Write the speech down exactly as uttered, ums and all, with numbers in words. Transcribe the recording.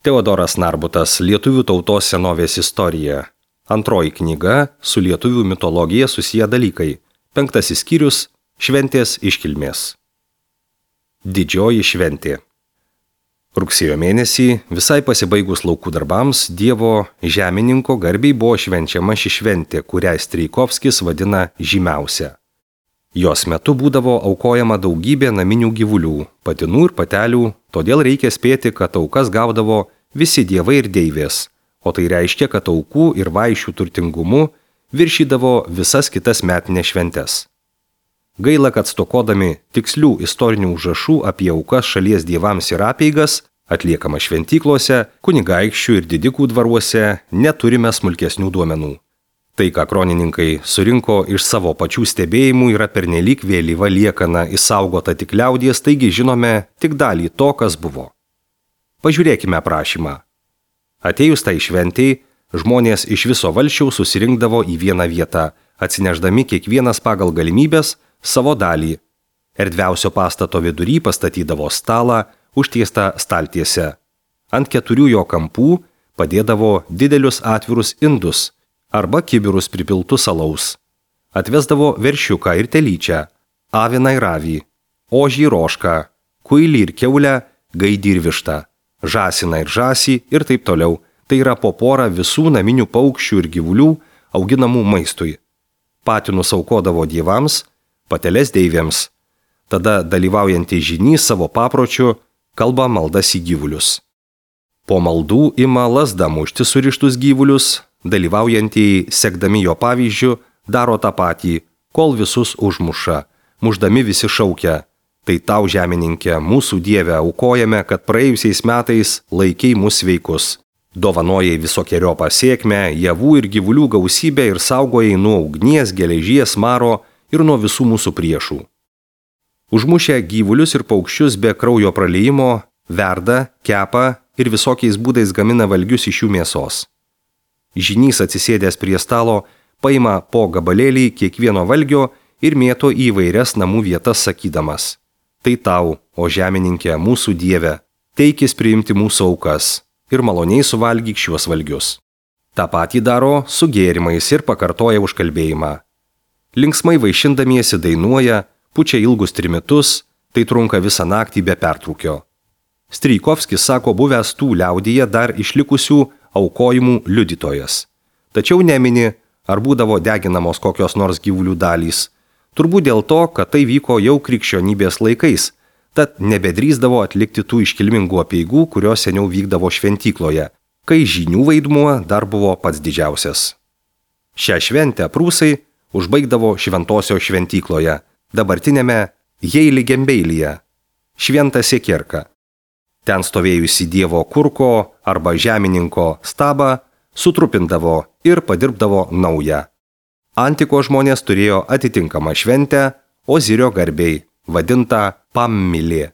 Teodoras Narbutas, Lietuvių tautos senovės istorija. Antroji knyga su lietuvių mitologija susiję dalykai. Penktasis skyrius – šventės iškilmės. Didžioji šventė. Rugsėjo mėnesį, visai pasibaigus laukų darbams, Dievo žemininko garbiai buvo švenčiama ši šventė, kurią Strijkovskis vadina žymiausia. Jos metu būdavo aukojama daugybė naminių gyvulių, patinų ir patelių, todėl reikia spėti, kad aukas gaudavo visi dievai ir deivės, o tai reiškia, kad aukų ir vaišių turtingumu viršydavo visas kitas metinės šventes. Gaila, kad stokodami tikslių istorinių užrašų apie aukas šalies dievams ir apeigas, atliekama šventyklose, kunigaikščių ir didikų dvaruose, neturime smulkesnių duomenų. Tai, ką kronininkai surinko iš savo pačių stebėjimų, yra pernelyg vėlyva liekana išsaugota tik liaudies, taigi žinome tik dalį to, kas buvo. Pažiūrėkime aprašymą. Atėjus tai šventei, žmonės iš viso valsčiaus susirinkdavo į vieną vietą, atsineždami kiekvienas pagal galimybės savo dalį. Erdviausio pastato vidury pastatydavo stalą, užtiestą staltiesę. Ant keturių jo kampų padėdavo didelius atvirus indus arba kibirus pripiltus alaus. Atvesdavo veršiuką ir telyčią, aviną ir avį, ožį ir ožką, kuilį ir kiaulę, gaidį ir vištą, žąsiną ir žąsį ir taip toliau. Tai yra po porą visų naminių paukščių ir gyvulių auginamų maistui. Patinus aukodavo dievams, pateles deivėms. Tada dalyvaujantį žynys savo papročiu kalba maldas į gyvulius. Po maldų ima lazda mušti surištus gyvulius, dalyvaujantieji, sekdami jo pavyzdžiu, daro tą patį, kol visus užmuša. Mušdami visi šaukia: tai tau, žemininkė, mūsų dieve, aukojame, kad praėjusiais metais laikei mus sveikus. Dovanojai visokieriopą sėkmę, javų ir gyvulių gausybę ir saugojai nuo ugnies, geležies, maro ir nuo visų mūsų priešų. Užmušę gyvulius ir paukščius be kraujo praliejimo, verda, kepa ir visokiais būdais gamina valgius iš jų mėsos. Žynys atsisėdęs prie stalo paima po gabalėlį kiekvieno valgio ir mėto į įvairias namų vietas sakydamas: tai tau, o žemininkė, mūsų dieve, teikis priimti mūsų aukas ir maloniai suvalgyk šiuos valgius. Ta patį daro su gėrimais ir pakartoja užkalbėjimą. Linksmai vaišindamiesi dainuoja, pučia ilgus trimitus, tai trunka visą naktį be pertrūkio. Strijkovskis sako buvęs tų liaudyje dar išlikusių aukojimų liudytojas. Tačiau nemini, ar būdavo deginamos kokios nors gyvulių dalys. Turbūt dėl to, kad tai vyko jau krikščionybės laikais, tad nebedrįsdavo atlikti tų iškilmingų apeigų, kurios seniau vykdavo šventykloje, kai žynių vaidmuo dar buvo pats didžiausias. Šią šventę prūsai užbaigdavo šventosios šventykloje, dabartinėme Heiligenbeilyje, Šventą Siekierką. Ten stovėjusi dievo kurko arba žemininko stabą sutrupindavo ir padirbdavo naują. Antiko žmonės turėjo atitinkamą šventę Ozirio garbei, vadintą Pammilė.